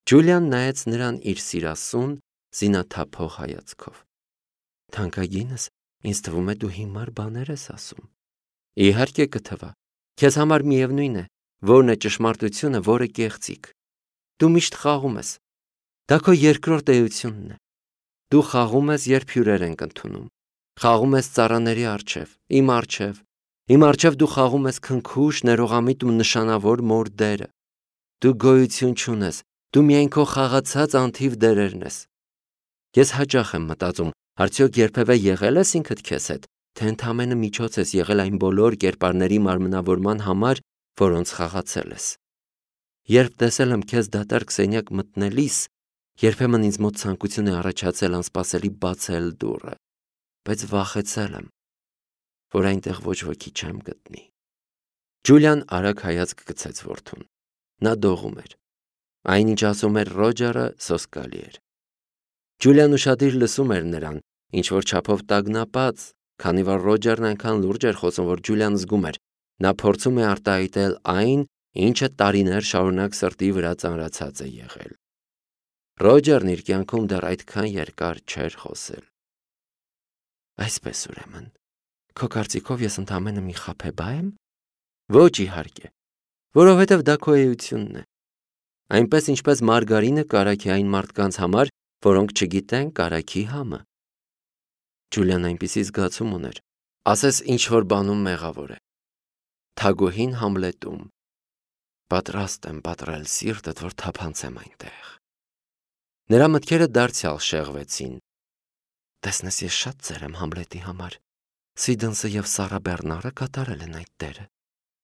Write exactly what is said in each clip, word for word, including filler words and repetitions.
Ջուլիան նայեց նրան իր սիրասուն, զինաթափող հայացքով։ Թանկագինս, ինձ թվում է դու հիմար բաներ ես ասում։ Իհարկե կթվա, քեզ համար միևնույն է, որն է ճշմարտությունը, որը կեղծիք։ Դու միշտ խաղում ես։ Դա քո երկրորդ էությունն է։ Դու խաղում ես, երբ հյուրեր ենք ընդունում։ Խաղում ես ծառաների առջև, իմ առջև։ Իմ առջև դու խաղում ես քնքուշ, ներողամիտ ու նշանավոր մոր դերը։ Դու գոյություն չունես, դու միայն քո խաղացած անթիվ դերերն ես։ Ես հաճախ եմ մտածում, արդյոք երբևէ եղել ես ինքդ քեզ հետ, թե ընդամենը միջոց ես եղել այն բոլոր կերպարների մարմնավորման համար, որոնց խաղացել ես։ Երբ տեսել եմ քեզ դատարկ սենյակ մտնելիս, երբեմն ինձ մոտ ցանկություն է առաջացել անսպասելի բացել դուռը, բայց վախեցել եմ, որ այնտեղ ոչ ոքի չեմ գտնի։ Ջուլիան արագ հայացք գցեց որդուն։ Նա դողում էր։ Այնինչ ասում էր Ռոջերը, սոսկալի էր։ Ջուլիան ուշադիր լսում էր նրան, ինչ որ չափով տագնապած, քանի որ Ռոջերն այնքան լուրջ էր խոսում, որ Ջուլիան զգում էր, նա փորձում է արտահայտել այն, ինչը տարիներ շարունակ սրտի վրա ծանրացած է եղել։ Ռոջերն իր կյանքում դեռ այդքան երկար չէր խոսել։ Այսպես ուրեմն, քո կարծիքով ես ընդամենը մի խաբեբա եմ։ Ոչ, իհարկե, որովհետև դա քո էությունն է։ Այնպես ինչպես մարգարինը կարագ է այն մարդկանց համար, որոնք չգիտեն կարագի համը։ Ջուլիան այնպիսի զգացում ուներ, ասես ինչ որ բանում մեղավոր է։ Թագուհին Համլետում։ Պատրաստ եմ պատռել սիրտդ, որ թափանցեմ այնտեղ։ Նրա մտքերը դարձյալ շեղվեցին։ Տեսնես, ես շատ ծեր եմ Համլետի համար։ Սիդնսը և Սառա Բեռնարը կատարել են այդ դերը։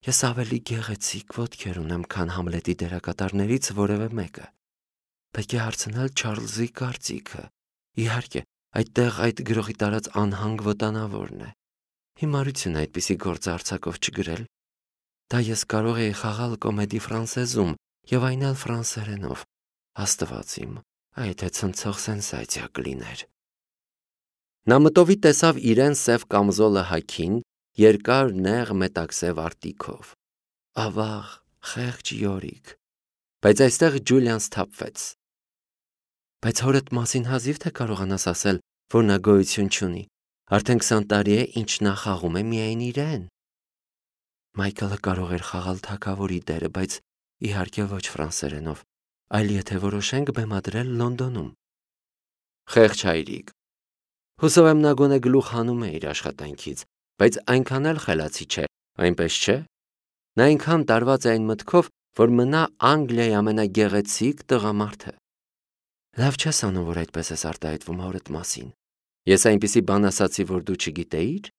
Ես ավելի գեղեցիկ ոտքեր ունեմ, քան Համլետի դերակատարներից որևէ մեկը։ Պետք է հարցնել Չարլզի կարծիքը։ Իհարկե, այդտեղ այդ գրողի տարած անհանգ վտանավորն է։ Հիմարություն այդպիսի գործը արձակով չգրել։ Դա ես կարող էի խաղալ կոմեդի ֆրանսեզում և այն էլ ֆրանսերենով։ Աստված իմ, այդ է ցնցող սենսացիա կլիներ։ Նա մտովի տեսավ իրեն սև կամզոլը հագին, երկար նեղ մետաքսև արտիքով։ Ավաղ, խեղճ Յորիկ։ Բայց այստեղ Ջուլիան սթափվեց։ Բայց հորդ մասին հազիվ թե կարողանաս ասել, որ նա գոյություն չունի։ Արդեն քսան տարի է, ինչ նա խաղում է միայն իրեն։ Մայքլը կարող էր խաղալ թագավորի դերը, բայց իհարկե ոչ ֆրանսերենով, այլ եթե որոշենք բեմադրել Լոնդոնում։ Խեղճ հայրիկ։ Հուսով եմ նա գոնե գլուխ հանում է իր աշխատանքից, բայց այնքան էլ խելացի չէ, այնպես չէ։ Նա այնքան տարված է այն մտքով, որ մնա Անգլիայի ամենագեղեցիկ տղամարդը։ Լավ չես անում, որ այդպես ես արտահայտվում հորդ մասին։ Ես այնպիսի բան ասացի, որ դու չգիտեիր,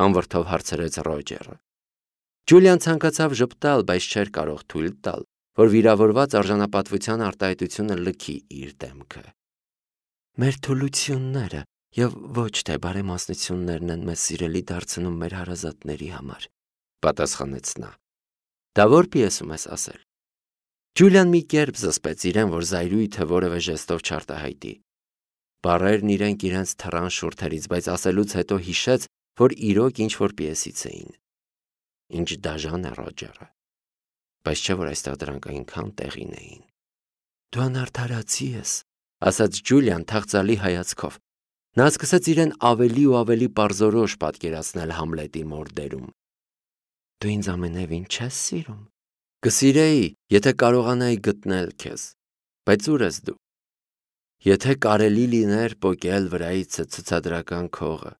անվրդով հարցրեց Ռոջերը։ Ջուլիան ցանկացավ ժպտալ, բայց չէր կարող թույլ տալ, որ վիրավորված արժանապատվության արտահայտությունը լքի իր դեմքը։ Մեր թուլությունները և ոչ թե բարեմասնություններն են մեզ սիրելի դարձնում մեր հարազատների համար, պատասխանեց նա։ Դա որ պիեսում ես ասել։ Ջուլիան մի կերպ զսպեց իրեն, որ զայրույթը որևէ ժեստով չարտահայտի։ Բառերն իրենք իրենց թռան շուրթերից, բայց ասելուց հետո հիշեց, որ իրոք ինչ-որ պիեսից էին։ Ինչ դաժան է Ռոջերը։ Բայց չէ՞ որ այստեղ դրանք այնքան տեղին էին։ Դու անարդարացի ես, ասաց Ջուլիան թախծալի հայացքով։ Նա սկսեց իրեն ավելի ու ավելի պարզորոշ պատկերացնել Համլետի մոր դերում։ Դու ինձ ամենևին չես սիրում։ Կսիրեի, եթե կարողանայի գտնել քեզ, բայց ուր ես դու։ Եթե կարելի լիներ պոկել վրայից ցուցադրական քողը,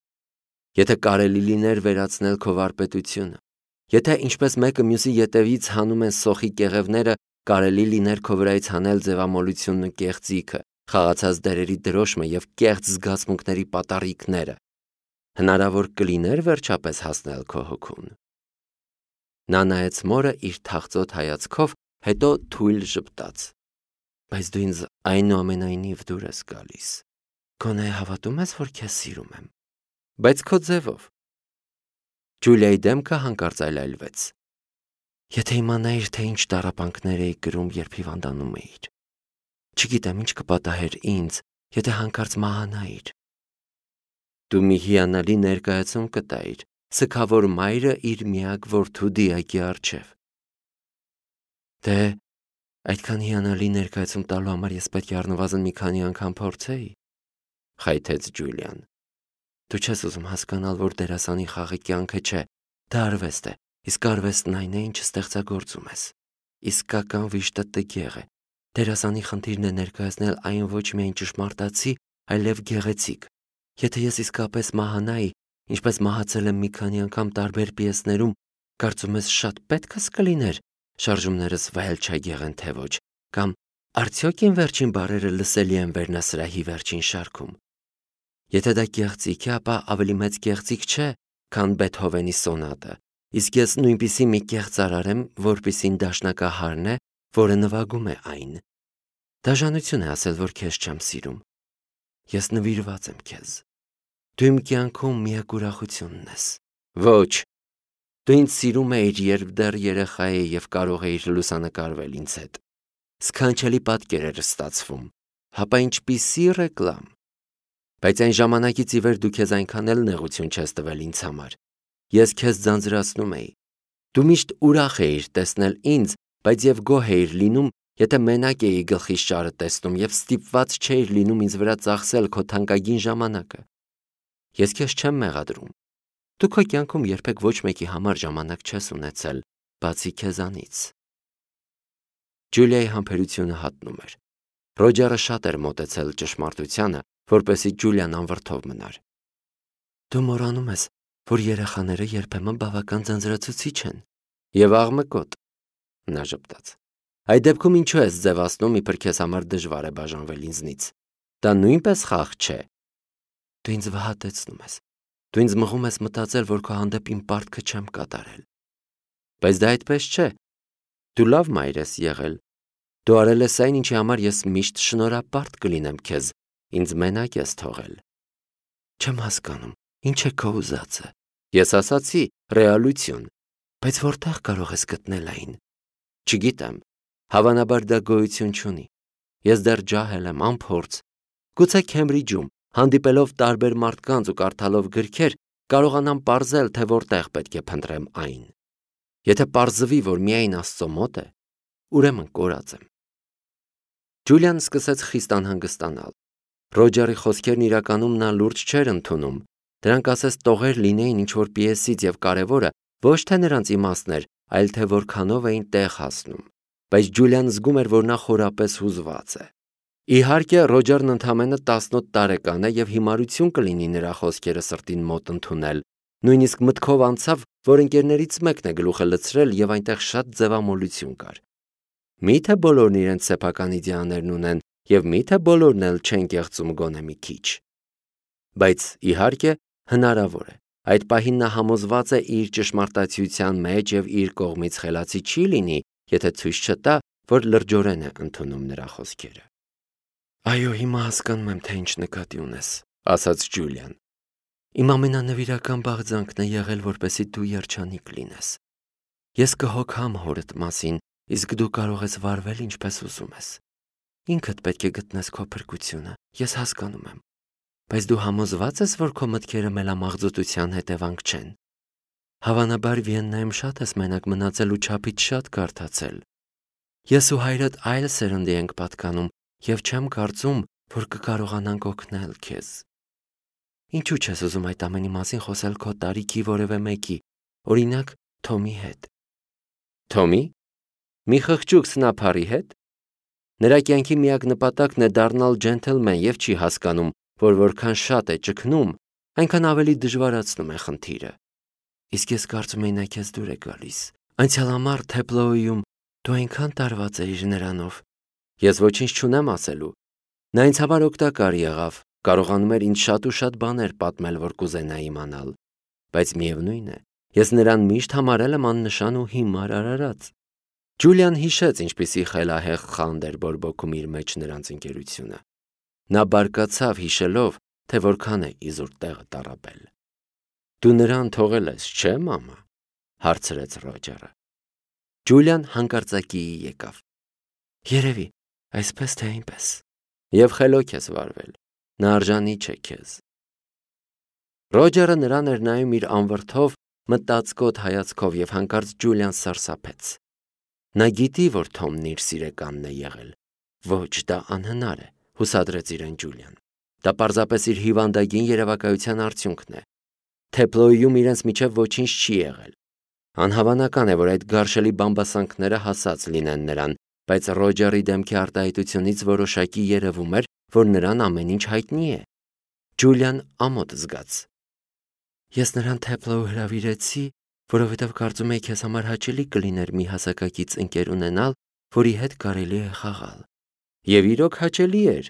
եթե կարելի լիներ վերացնել քո վարպետությունը, եթե ինչպես մեկը մյուսի ետևից հանում են սոխի կեղևները, կարելի լիներ քո վրայից հանել ձևամոլությունն ու կեղծիքը, խաղացած դերերի դրոշմը և կեղծ զգացմունքների պատառիկները, հնարավոր կլիներ վերջապես հասնել քո հոգուն։ Նա նայեց մորը իր թախծոտ հայացքով, հետո թույլ ժպտաց։ Բայց դու ինձ այնուամենայնիվ դուր ես գալիս։ Գոնե հավատում ես, որ քեզ սիրում եմ։ Բայց քո ձևով։ Ջուլիայի դեմքը հանկարծ այլայլվեց։ Եթե իմանայիր, թե ինչ տառապանքներ էի կրում, երբ հիվանդանում էիր։ Չգիտեմ ինչ կպատահեր ինձ, եթե հանկարծ մահանայիր։ Դու մի հիանալի ներկայացում կտայիր, սգավոր մայրը իր միակ որդու դիակի առջև։ Դե, Այդքան հիանալի ներկայացում տալու համար ես պետք է առնվազն մի քանի անգամ փորձեի, խայթեց Ջուլիան։ Դու չես ուզում հասկանալ, որ դերասանի խաղը կյանքը չէ, դա արվեստ է, իսկ արվեստն այն է, ինչ ստեղծագործում ես։ Իսկական վիշտը տգեղ է։ Դերասանի խնդիրն է ներկայացնել այն ոչ միայն ճշմարտացի, այլև գեղեցիկ։ Եթե ես իսկապես մահանայի, ինչպես մահացել եմ մի քանի անգամ տարբեր պիեսներում, կարծում ես շատ պետք է կլիներ շարժումներս վայել չգեղեն թե ոչ, կամ արդյոք իմ վերջին բառերը լսելի են վերնասրահի վերջին շարքում։ Եթե դա գեղեցիկ է, ապա ավելի մեծ գեղեցիկ չէ, քան Բեթհովենի սոնատը, իսկ ես նույնպիսի մի կեղծարար եմ, որպիսին դաշնակահարն է, որը նվագում է այն։ Դաժանություն է ասել, որ քեզ չեմ սիրում։ Ես նվիրված եմ քեզ։ Դու իմ կյանքում միակ ուրախությունն ես։ Ոչ, դու ինձ սիրում էիր, երբ դեռ երեխա էի և կարող էիր լուսանկարվել ինձ հետ։ Սքանչելի պատկեր էր ստացվում, հապա ինչպիսի ռեկլամ։ Բայց այն ժամանակից ի վեր դու քեզ այնքան էլ նեղություն չես տվել ինձ համար։ Ես քեզ ձանձրացնում էի։ Դու միշտ ուրախ էիր տեսնել ինձ, բայց և գոհ էիր լինում, եթե մենակ էի գլխիս ճարը տեսնում և ստիպված չէիր լինում ինձ վրա ծախսել քո թանկագին ժամանակը։ Ես քեզ չեմ մեղադրում։ Դու քո կյանքում երբեք ոչ մեկի համար ժամանակ չես ունեցել, բացի քեզանից։ Ջուլիայի համբերությունը հատնում էր։ Ռոջերը շատ էր մոտեցել ճշմարտությանը, որպեսզի Ջուլիան անվրդով մնար։ Դու մոռանում ես, որ երեխաները երբեմն բավական ձանձրացուցիչ են և աղմկոտ, նա ժպտաց։ Այդ դեպքում ինչու ես ձևացնում, իբր քեզ համար դժվար է բաժանվել ինձնից։ Դա նույնպես խաղ չէ։ Դու ինձ վհատեցնում ես։ Դու ինձ մղում ես մտածել, որ քո հանդեպ իմ պարտքը չեմ կատարել։ Բայց դա այդպես չէ։ Դու լավ մայր ես եղել։ Դու արել ես այն, ինչի համար ես միշտ շնորհապարտ կլինեմ քեզ, ինձ մենակ ես թողել։ Չեմ հասկանում, ինչ է քո ուզածը։ Ես ասացի ռեալություն, բայց որտեղ կարող ես գտնել այն։ Չգիտեմ, հավանաբար դա գոյություն չունի։ Ես դեռ ջահել եմ, անփորձ։ Գուցե Քեմբրիջում, հանդիպելով տարբեր մարդկանց ու կարդալով գրքեր, կարողանամ պարզել, թե որտեղ պետք է փնտրեմ այն։ Եթե պարզվի, որ միայն Աստծո մոտ է, ուրեմն կորած եմ։ Ջուլիան սկսեց խիստ անհանգստանալ։ Ռոջերի խոսքերն իրականում նա լուրջ չէր ընդունում։ Դրանք ասես տողեր լինեին ինչ-որ պիեսից և կարևորը ոչ թե նրանց իմաստն էր, այլ թե որքանով էին տեղ հասնում։ Բայց Ջուլիան զգում էր, որ նա խորապես հուզված է։ Իհարկե, Ռոջերն ընդամենը տասնոթ տարեկան է և հիմարություն կլինի նրա խոսքերը սրտին մոտ ընդունել։ Նույնիսկ մտքով անցավ, որ ընկերներից մեկն է գլուխը լցրել և այնտեղ շատ ձևամոլություն կար։ Միթե բոլորն իրենց սեփական իդեաներն ունեն և միթե բոլորն էլ չեն կեղծում գոնե մի քիչ։ Բայց իհարկե, հնարավոր է։ Այդ պահին նա համոզված է իր ճշմարտացիության մեջ և իր կողմից խելացի չի լինի, եթե ցույց չտա, որ լրջորեն է ընդունում նրա խոսքերը։ Այո, հիմա հասկանում եմ, թե ինչ նկատի ունես, ասաց Ջուլիան։ Իմ ամենանվիրական բաղձանքն է եղել, որպեսզի դու երջանիկ լինես։ Ես կհոգամ հորդ մասին, իսկ դու կարող ես վարվել ինչպես ուզում ես։ Ինքդ պետք է գտնես քո փրկությունը, ես հասկանում եմ։ Բայց դու համոզված ես, որ քո մտքերը մելամաղձոտության հետևանք չեն։ Հավանաբար Վիեննայում շատ ես մենակ մնացել ու չափից շատ կարդացել։ Ես ու հայրդ այլ սերնդի ենք պատկանում և չեմ կարծում, որ կկարողանանք օգնել քեզ։ Ինչու չես ուզում այդ ամենի մասին խոսել քո տարիքի որևէ մեկի, օրինակ Թոմի հետ։ Թոմի։ Մի խղճուկ սնափարի հետ։ Նրա կյանքի միակ նպատակն է դառնալ ջենթլմեն և չի հասկանում, որ որքան շատ է ճգնում, այնքան ավելի դժվարացնում է խնդիրը։ Իսկ ես կարծում էի նա քեզ դուր է գալիս։ Անցյալ ամառ Թեփլոյում դու այնքան տարված էիր նրանով։ Ես ոչինչ չունեմ ասելու։ Նա ինձ համար օգտակար եղավ, կարողանում էր ինձ շատ ու շատ բաներ պատմել, որ կուզենայի իմանալ։ Բայց միևնույն է, ես նրան միշտ համարել եմ աննշան ու հիմար արարած։ Ջուլիան հիշեց, ինչպիսի խելահեղ խանդ էր բորբոքում իր մեջ նրանց ընկերությունը։ Նա բարկացավ հիշելով, թե որքան է իզուր տեղը տառապել։ Դու նրան թողել ես, չէ՞ մամա, հարցրեց Ռոջերը։ Ջուլիան հանկարծակիի եկավ։ Երևի, այսպես թե այնպես։ Եվ խելոք ես վարվել, նա արժանի չէ քեզ։ Ռոջերը նրան էր նայում իր անվրդով, մտածկոտ հայացքով և հանկարծ Ջուլիան սարսափեց։ Նա գիտի, որ Թոմն իր սիրեկանն է եղել։ Ոչ, դա անհնար է, հուսադրեց իրեն Ջուլիան։ Դա պարզապես իր հիվանդագին երևակայության արդյունքն է։ Թեփլոյում իրենց միջև ոչինչ չի եղել։ Անհավանական է, որ այդ գարշելի բամբասանքները հասած լինեն նրան, բայց Ռոջերի դեմքի արտահայտությունից որոշակի երևում էր, որ նրան ամեն ինչ հայտնի է։ Ջուլիան ամոթ զգաց։ Ես նրան Թեփլոյ հրավիրեցի, որովհետև կարծում էի քեզ համար հաճելի կլիներ մի հասակակից ընկեր ունենալ, որի հետ կարելի է խաղալ։ Եվ իրոք հաճելի էր։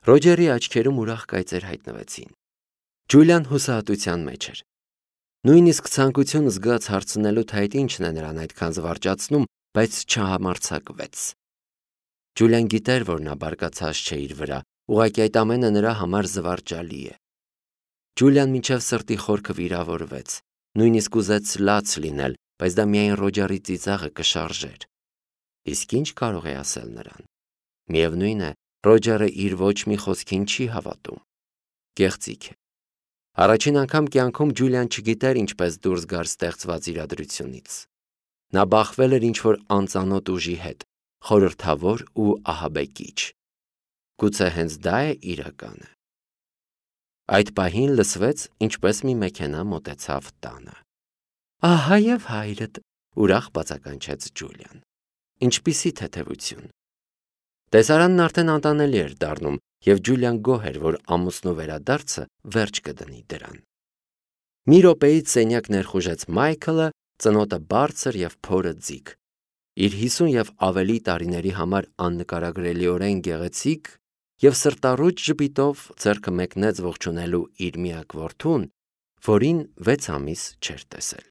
Ռոջերի աչքերում ուրախ կայծեր հայտնվեցին։ Ջուլիան հուսահատության մեջ էր։ Նույնիսկ ցանկություն զգաց հարցնելու, թե այդ ինչն է նրան այդքան զվարճացնում, բայց չհամարձակվեց։ Ջուլիան գիտեր, որ նա բարկացած չէ իր վրա, ուղղակի այդ ամենը նրա համար զվարճալի է։ Ջուլիան մինչև սրտի խորքը վիրավորվեց, նույնիսկ ուզեց լաց լինել, բայց դա միայն Ռոջերի ծիծաղը կշարժեր։ Իսկ ինչ կարող է ասել նրան։ Միևնույն է, Ռոջերը իր ոչ մի խոսքին չի հավատում։ Կեղծիք է։ Առաջին անգամ կյանքում Ջուլիան չգիտեր ինչպես դուրս գար ստեղծված իրադրությունից։ Նա բախվել էր ինչ-որ անծանոթ ուժի հետ, խորհրդավոր ու ահաբեկիչ։ Գուցե հենց դա է իրականը։ Այդ պահին լսվեց, ինչպես մի մեքենա մոտեցավ տանը։ Ահա եւ հայրդ, ուրախ բացականչեց Ջուլիան։ Ինչպիսի թեթևություն։ Տեսարանն արդեն անտանելի էր դառնում, եւ Ջուլիան գոհ էր, որ ամուսնու վերադարձը վերջ կդնի դրան։ Մի րոպեից սենյակ ներխուժեց Մայքլը, ծնոտը բարձր եւ փորը ձիգ։ Իր հիսուն եւ ավելի տարիների համար աննկարագրելիորեն գեղեցիկ եւ սրտառուչ ժպիտով ձեռքը մեկնեց ողջունելու իր միակ որդուն, որին վեց ամիս չէր տեսել։